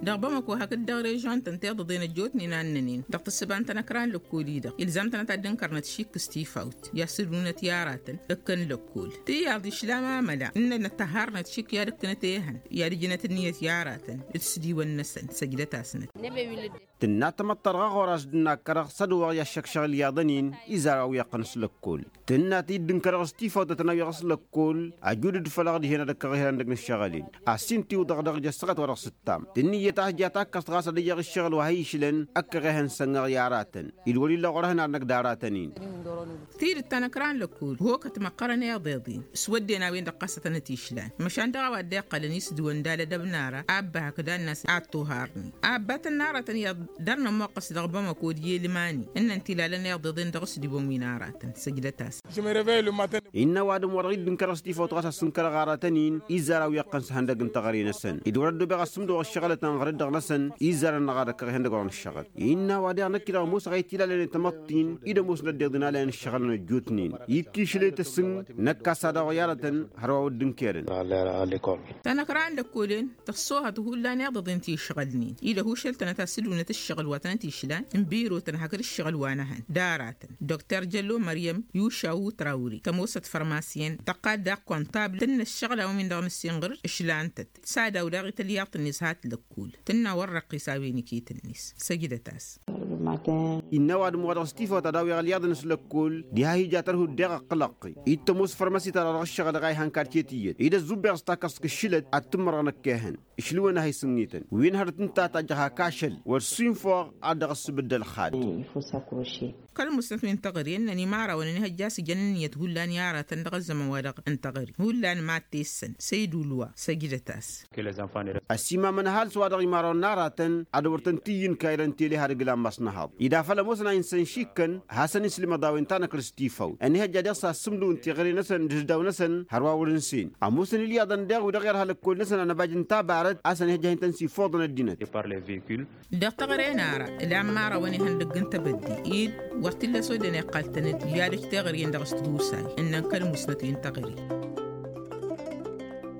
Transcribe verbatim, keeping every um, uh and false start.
Dăɣ-bamăko hakd dăɣ-režion-tăn tiḍăḍen ăjjootnen a ǝnnănen dăɣ-tǝssǝba n-tanăkra n-lăkkol-i-dăɣ ilzam-tăn ad-dd-ǝnkărnăt šik s-tifawt i-ad-sǝdunăt i-aratăn ǝkkăn lăkkol. Tǝyyaḍ išlam amăla ǝnnănăt tăhharnăt šik i-ad-ǝkkǝnăt ehăn i-ad-ǝjnăt ǝnniyăt i-aratăn d-sǝdiwăn-năsăn. Săjdăt-asnăt. Tǝnna tamăḍt ta dăɣ-aɣoras d-ǝnnakkăr s-ad-uwăɣ i-ad-šăkšăɣ ǝlyaḍăn-in izar a-wi iqqăn s-lăkkol. Tǝnna-t-dd ǝnkărăɣ s-tifawt ad-tăn-awyaɣ s-lăkkol ajud-dd făl-aɣ dihen ad-ăkkăɣ ihăndăg n-ǝššăɣǝl-in. Ad-s-in-tiwǝḍăɣ dăɣ-jăssăɣăt wa dăɣ-s ǝttam tǝnnǝyyăt a hǝjja takkăst ɣas ad-ăyyaɣ ǝššăɣǝl wa hi-išlăn. Ăkkăɣ ehăn sănnăɣ i-aratăn id-wăr-illa ɣur-ehăn ad-năgg d-aratăn-in. Tidǝt ta năkra n-lăkkol hokăt măqqărăn iḍeḍen s-wădden a-wen-dăɣ ɣas a tănăt-išlan măšan dăɣ-a-wa dd-iqqălăn i-sǝdǝwăn d-alădăb n-ara abba hakd annăs ad-tuharnen. Abba tănn'-aratăn iyyăḍ dăr-nămoqqăs dăɣ-bamăko d-yelmani ǝnnăn tilalăn iḍeḍen dăɣ-s d-iwăn wi n-aratăn săjdăt-asăn. Innă ăwadǝm-wa-dăɣ dd-ǝnkărăɣ s-tifawt ɣas a-s ǝnkărăɣ aratăn-in izzar a-wi iqqăn s-ihăndăg n-teɣăre-năsăn ed wăr-ăddoobeɣ asǝmdăɣ ăššăɣǝlăt ănɣăr-dd dăɣ-năsăn izzar ănnăɣ ad-ăkkăɣ ihăndăg wa n-ăššăɣǝl. Innă ăwadǝm-wa-dăɣ năkk-i-dăɣ ămoosăɣ a itǝlalăn i-tamăḍt-in-i d-ămoosnăt deḍen alăyăn ǝššăɣǝlăn ăjjootnen. Ikk' išlăy tăsǝng năkk a-s ad-dăɣ-wa i-aratăn hărwa wăr dd-ǝnkerăn. Tanăkra n-lăkkolen tăssohăt hullan iḍăḍen ti ǝšɣălnen-i d-ăhušăl-tănăt ad-sǝdunăt ǝššăɣǝl wa tănăt-išlan n-birotăn hakd ǝššăɣǝl wa n-ehăn d-aratăn. Dr jăllo măryăm yušaw trawri tămoosăt fărmasiyăn tăqqal daɣ kăntabl tǝnnă ǝššăɣǝl a-wen-dăɣ n-ǝssinɣǝr ǝšlan-tăt. Sadaw daɣ i-tălyaḍt-net hat-lăkkol tǝnna wăr răqqis a-wen iket-net. Săjdăt-as. Innă ăwadǝm-wa-dăɣ s-tifawt ad-awyaɣ ălyaḍăn s-lăkkol diha hi-ja tărhut deɣ ăqqǝlăqqi-dd tămoos fărmăsit-ta-dăɣ dăɣ-ǝššăɣǝl dăɣ-a ihăn kartiye tiyyăt ed ăzzubeɣ s-takkăẓt kǝššǝlăt ad-tǝmmărăɣ năkk ehăn. Išlǝwăn a hi-sǝnnităn wi n-hărăt ǝnta a tajjăɣ hak ašăl wăr-sinfăɣ ad-dăɣ-ăssǝbǝddăl xad. Kăl-musnăt wi n-teɣăre ǝnnăn imarawăn ănihăjja a-s ǝjăn ǝnniyăt hullan i-aratăn dăɣ-ăzzăman-wa-dăɣ n-teɣăre hullan ma t-tessăn săydul wa săjdăt-as. Ăsimamăn ăhalǝs wa dăɣ-imarawăn n-aratăn ad-wăr tăn-t-iyy n-kayra n-tele har ǝglan ma s-nǝhaḍ ed afăl ămoosăn a insăn šikkăn. Hasăn-islǝmăḍ a-wen tanăkrǝst tifawt ănihăjja deɣ s-assǝmdǝw n-teɣăre-năsăn d-isdaw-năsăn hărwa wăr-ǝnsen. Ămoosăn ilyaḍăn deɣ wi-dăɣ irha lăkkol-năsăn anăbaj n-tabarăt a-s ănihăjja a hin-tăn-siffoḍăn ăddinăt. Dăɣ-teɣăre n-ara ǝla n-imărawăn ihăndăgg n-tebădde-dd wăr t-illa s-odden iqqal-tăn-dd i-ad-ăj teɣăre-en dăɣ-s tadusay ǝnnăn kăl-musnăt wi n-teɣăre.